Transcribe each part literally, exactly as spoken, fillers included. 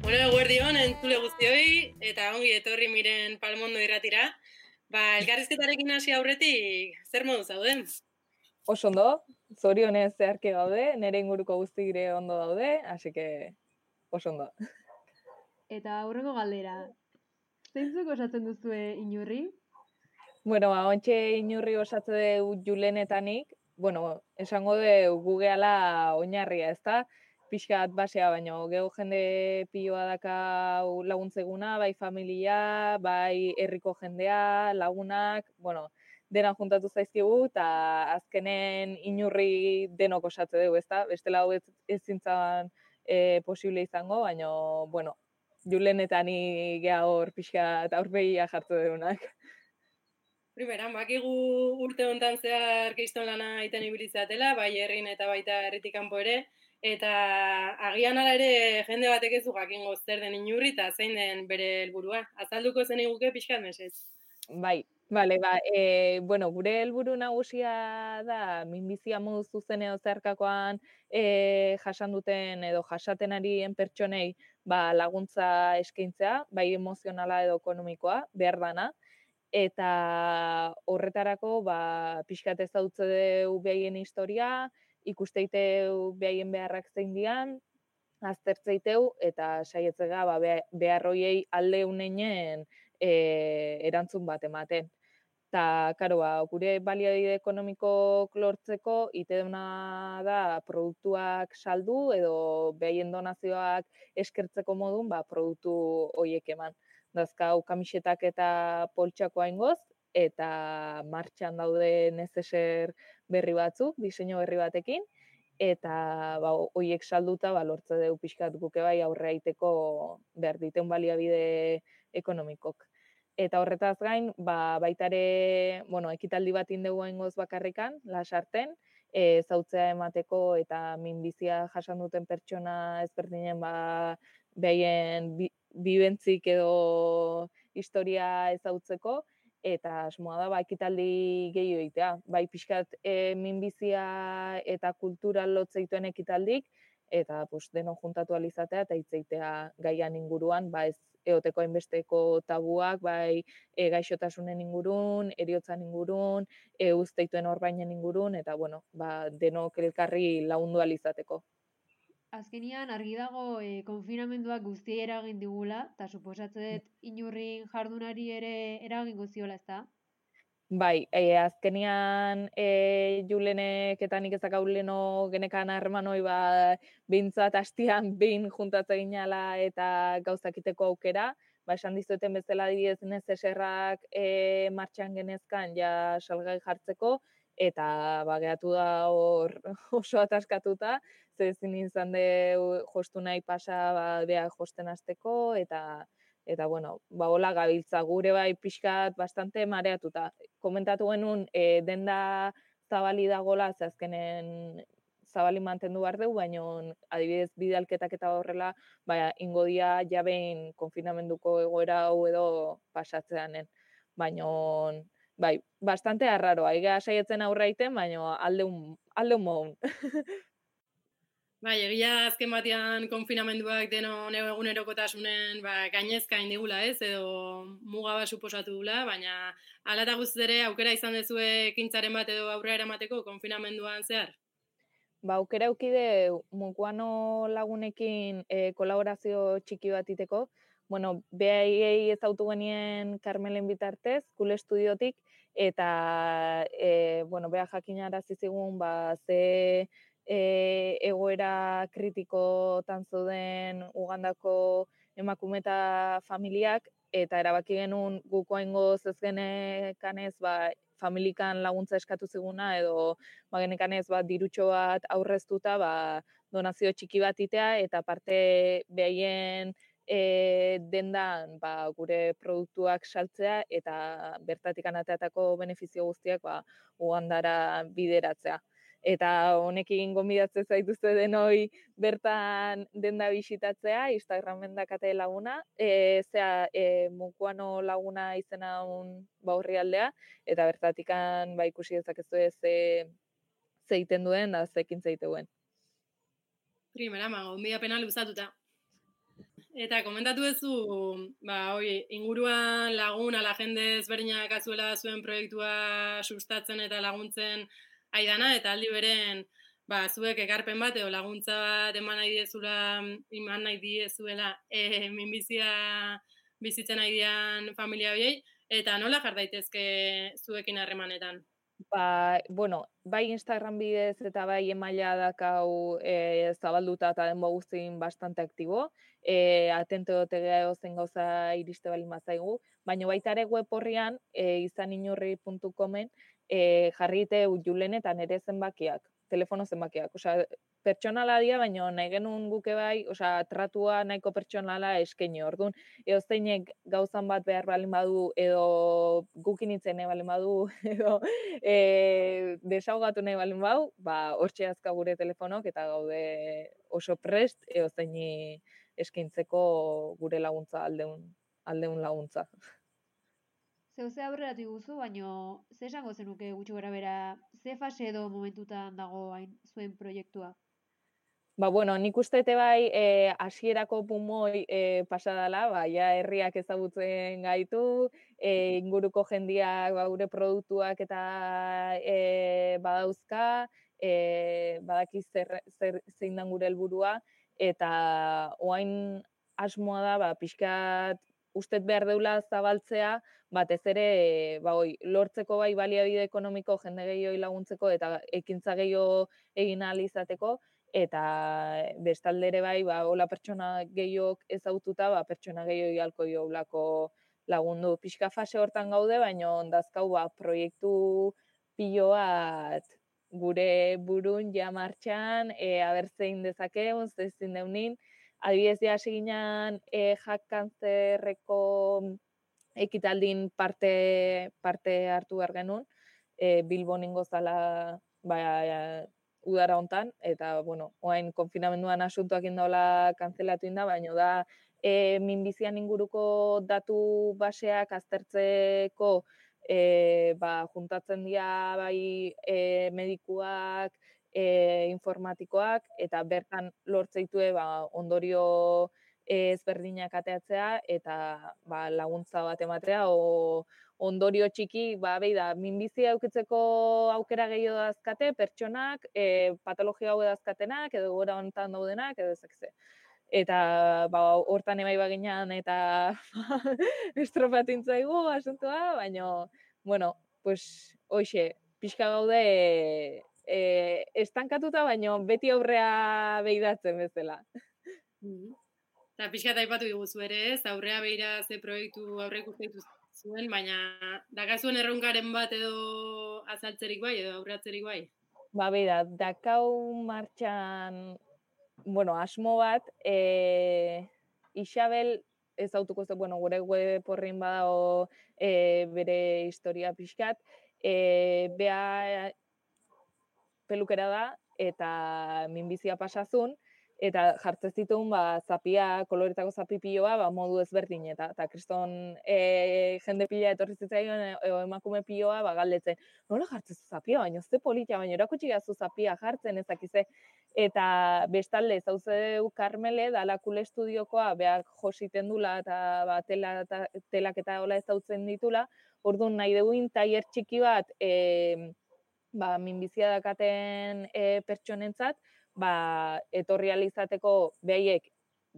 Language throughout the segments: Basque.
Bueno, eguerdion, entzule guztioi, eta ongi etorri miren Palmondo irratira. Ba, elkarrizketarekin hasi aurretik, zer modu zauden? Oso ondo, zorionez zeharki gaude, nire inguruko guzti gire ondo daude, así que oso ondo. Eta aurreko galdera, zeintzuk osatzen duzue Inurri? Bueno, ba, ontxe Inurri osatze du Julenetanik, bueno, esango du gu gehala oinarria, ezta? Pixkat basea, baino geho jende piloa daka laguntzeguna, bai familia, bai herriko jendea, lagunak, bueno, dena juntatu zaizkigu, eta azkenen Inurri denok osatze dugu, ezta? Bestela hau ez, ez zintzan e, posible izango, baino, bueno, Julenetani geha hor pixkat aurpegia jartu dugunak. Primeran, bakigu urte hontan zehar keiston lana iten ibilizatela, bai herrin eta baita herritik kanpo ere, eta agian ala ere jende batek ez du jakingo zer den Inurri eta zein den bere helburua. Azalduko zen iguke pixkat mesez. Bai, bale, ba, e, bueno, gure helburu nagusia da minbizia modu zuzen edo zeharkakoan e, jasan duten edo jasaten arien pertsonei ba, laguntza eskaintzea, bai emozionala edo ekonomikoa, behar dana, eta horretarako ba, pixkat ezagutze dugu behaien historia, ikusteiteu behaien beharrak zein dian, aztertzeiteu eta saietzega ba, behar hoiei alde uneinen e, erantzun bat ematen. Ta, karo, ba, gure baliabide ekonomiko lortzeko ite duna da produktuak saldu edo behaien donazioak eskertzeko modun ba, produktu hoiek eman. Dazkau kamisetak eta poltsakoa ingoz, eta martxan daude nezeser berri batzuk, diseinu berri batekin, eta ba, hoiek salduta ba, lortze dugu pixkat guke bai aurre aiteko behar diten baliabide ekonomikok. Eta horretaz gain, ba, baitare, bueno, ekitaldi bat indegu ingoz bakarrikan, lasarten, e, zautzea emateko eta minbizia jasan duten pertsona ezberdinen ba, behaien bi, bibentzik edo historia ezautzeko, eta asmoa da, ba, ekitaldi gehiago egitea. Bai, pixkat e, minbizia eta kultura lotzeitzen ekitaldik, eta pues, deno juntatu alizatea eta hitzeitea gaian inguruan, ba, ez eoteko hainbesteko tabuak, bai e, gaixotasunen ingurun, eriotzan ingurun, e, uzteituen orbainen ingurun, eta bueno, ba, denok elkarri lagundu alizateko. Azkenian argi dago e, konfinamenduak guztiei eragin digula, eta suposatzen dut Inurrin jardunari ere eragingo ziola, ezta? Bai, e, azkenian e, Julenek eta nik ezakau leno genekan harremanoi ba, behintzat hastian behin juntatze ginala eta gauzakiteko aukera, ba, esan dizueten bezala didez nezeserrak e, martxan genezkan ja salgai jartzeko, eta ba, gehatu da hor oso ataskatuta, ze ezin izan de jostu nahi pasa ba, beha josten hasteko, eta eta bueno, ba hola gabiltza gure bai pixkat bastante mareatuta. Komentatu genuen e, denda zabali dagola, ze azkenen zabali mantendu behar dugu, baina adibidez bidalketak eta horrela, ba, ingo dia jabein konfinamenduko egoera hau edo pasatzeanen. Baina, bai, bastante arraroa, ega saietzen aurraiten, baina aldeun, aldeun modun. Bai, egia azken batean konfinamenduak denon egunerokotasunen ba, gainezka indigula ez, edo muga bat suposatu dula, baina hala eta guztiz ere aukera izan dezue ekintzaren bat edo aurrera eramateko konfinamenduan zehar? Ba, aukera eukide Mukuano lagunekin e, kolaborazio txiki bat iteko. Bueno, behaiei ezautu genien Carmelen bitartez, Kule Estudiotik, eta e, bueno, beha jakinarazi zigun ba, ze e, egoera kritikotan zeuden Ugandako emakume eta familiak, eta erabaki genuen gukoa ingoz ez genekanez ba, familikan laguntza eskatu ziguna, edo ba, genekanez ba, dirutxo bat aurreztuta ba, donazio txiki bat itea, eta parte behaien e, dendan ba, gure produktuak saltzea, eta bertatik anateatako benefizio guztiak ba, Ugandara bideratzea. Eta honekin gonbidatzen zaituzte denoi bertan denda bisitatzea, Instagramen dakate laguna, e, zea e, Mukuano laguna izena un ba, horri aldea, eta bertatikan ba, ikusi dezakezu ze zeiten duen, da zekin zeituen. Primera, ma, gonbidapena luzatuta. Eta komentatu duzu, ba, oi, inguruan lagun, ala jende ezberdinak azuela zuen proiektua sustatzen eta laguntzen aidana, eta aldi beren, ba, zuek ekarpen bat edo laguntza bat eman nahi diezula, eman nahi diezuela e, minbizia bizitzen nahi dian familia horiei, eta nola jar daitezke zuekin harremanetan? Ba, bueno, bai Instagram bidez eta bai emaila dakau e, zabalduta eta denbo guztin bastante aktibo, e, atento dotegea egozen gauza iriste balin bazaigu, baina baita ere web horrian, e, izaninurri puntu comen, e, jarrite Julen eta nire zenbakiak, telefono zenbakiak, osea, pertsonala dia, baina nahi genuen guke bai, osea, tratua nahiko pertsonala eskaini orduan, edo zeinek gauzan bat behar balin badu, edo gukin itzen nahi balin badu, edo e, desaugatu nahi balin bau, ba, hortxe azka gure telefonok, eta gaude oso prest, edo zeini eskaintzeko gure laguntza, aldeun, aldeun laguntza. Zeu ze aurreratu iguzu, baino ze esango zenuke gutxi gora bera, ze fase edo momentutan dago hain zuen proiektua? Ba, bueno, nik ustete bai, e, hasierako pumoi e, pasadala, ba, ja herriak ezagutzen gaitu, e, inguruko jendiak ba, gure produktuak eta e, badauzka, e, badakiz zer, zer, zein dan gure helburua, eta oain asmoa da, ba, pixkat ustet behar deula zabaltzea, batez ere, e, ba, oi, lortzeko bai baliabide ekonomiko jende gehiago laguntzeko eta ekintza gehiago egin ahal izateko, eta bestalde ere bai, ba, hola pertsona gehiok ezaututa, ba, pertsona gehiok ialko joulako lagundu. Pixka fase hortan gaude, baina ondazkau ba, proiektu pilo bat gure burun ja martxan, e, abertzein dezakeun, zezin deunin, adibidez ja seginan e, jak kanzerreko ekitaldin parte, parte hartu behar genuen, e, Bilbon ingozala ba, udara hontan, eta, bueno, oain konfinamenduan asuntoak indaola kanzelatu inda, baina da e, minbizian inguruko datu baseak aztertzeko e, ba, juntatzen dira bai e, medikuak, e, informatikoak, eta bertan lortzeitue ba, ondorio ezberdinak ateatzea, eta ba, laguntza bat ematea, o ondorio txiki, ba, behi da, minbizia eukitzeko aukera gehiago dazkate, pertsonak, e, patologia hau dazkatenak, edo gora honetan daudenak, edo ezakze. Eta ba, hortan ebai baginan, eta estropatintzaigu asuntua, baina, bueno, pues, hoxe, pixka gaude, e, estankatuta, baina beti aurrea behidatzen bezala. Mm-hmm. Eta pixka eta aipatu diguzu ere ez, aurrea behira ze proiektu aurre ikusten zuen, baina dakazuen erronkaren bat edo azaltzerik bai, edo aurreatzerik bai? Ba, beida, dakau martxan, bueno, asmo bat, e, Isabel ezautuko ze, bueno, gure web horrein badao e, bere historia pixkat, e, bea pelukera da, eta minbizia pasazun, eta jartzen zituen ba, zapia, koloretako zapi piloa, ba, modu ezberdin, eta, eta kriston e, jende pila etorri zitzaion, e, emakume piloa, ba, galdetzen, nola jartzen zu zapia, baina ze politia, baina erakutsi gazu zapia jartzen ezakize, eta bestalde, zauze du Karmele, dalakule estudiokoa, behar jositen dula, eta ba, tela, ta, telak eta hola ezautzen ditula, orduan nahi duguin tailer txiki bat, e, ba, minbizia dakaten e, pertsonentzat, ba, etorri alizateko behaiek,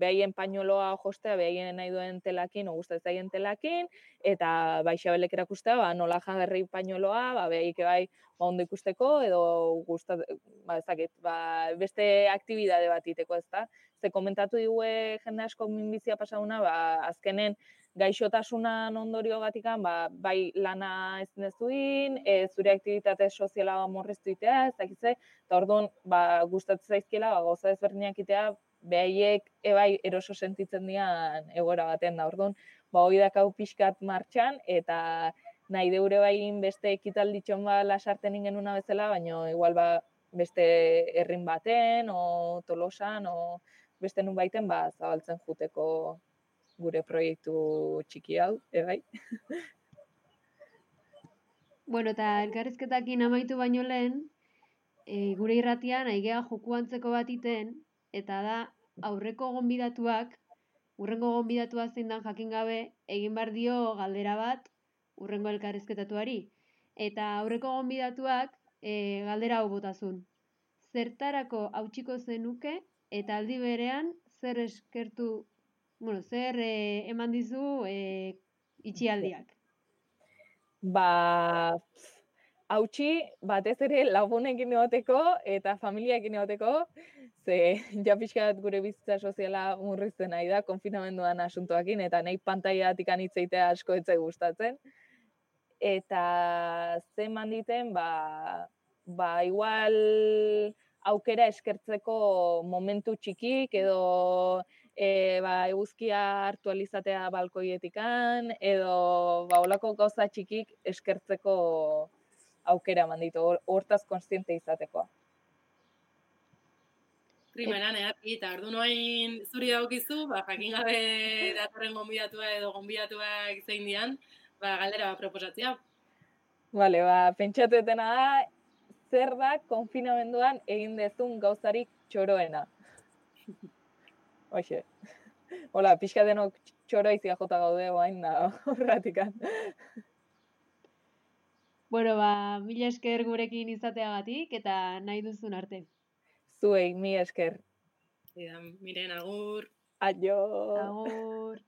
behaien pañoloa jostea, behaien nahi duen telakin, o guztat zaien telakin, eta ba, Isabelek erakustea, ba, nola jagarri pañoloa, ba, behaik bai, ba, ondo ikusteko, edo gustat, ba, ezakit, ba, beste aktibidade bat iteko, ezta? Ze komentatu digue jende asko minbizia pasauna, ba, azkenen, gaixotasunan ondorio batikan, ba, bai lana ezin dezuin, e, zure aktibitate soziala morreztu itea, ez dakitze, eta orduan, ba, gustatzen zaizkiela, ba, gauza ezberdinak itea, behaiek ebai eroso sentitzen dian egoera baten da. Orduan, ba, hoi dakau pixkat martxan, eta nahi deure bain beste ekitalditxon ba lasarten ingenuna bezala, baina igual ba, beste herrin baten, o Tolosan, o beste nun baiten, ba, zabaltzen juteko gure proiektu txiki hau, ebai. Bueno, eta elkarrizketakin amaitu baino lehen, e, gure irratian aigea joku antzeko bat iten, eta da aurreko gonbidatuak urrengo gonbidatua zein dan jakin gabe, egin behar dio galdera bat urrengo elkarrizketatuari. Eta aurreko gonbidatuak e, galdera hau botazun. Zertarako hautsiko zenuke eta aldi berean zer eskertu, bueno, zer e, eman dizu e, itxialdiak. Ba, hautsi batez ere lagunekin egoteko eta familiaekin egoteko, ze ja pixka bat gure bizitza soziala murrizten nahi da, konfinamenduan asuntoakin, eta nahi pantaiatik anitzeitea asko etzai gustatzen. Eta ze eman diten, ba, ba igual aukera eskertzeko momentu txikik, edo e, ba, eguzkia hartu alizatea balkoietikan, edo ba, olako gauza txikik eskertzeko aukera manditu, hortaz konstiente izatekoa. Primeran, eharki, eta ordu noain zuri daukizu, ba, jakin gabe datorren gonbidatua edo gonbidatuak zein dian, ba, galdera bat proposatzea. Vale, ba, pentsatuetena da, zer da konfinamenduan egin dezun gauzarik txoroena. Hoxe. Hola, pixka denok txoroizia jota gaude guain da horratikan. Bueno, ba, mila esker gurekin izateagatik eta nahi duzun arte. Zuei, mi esker. Miren, agur. Aio. Agur.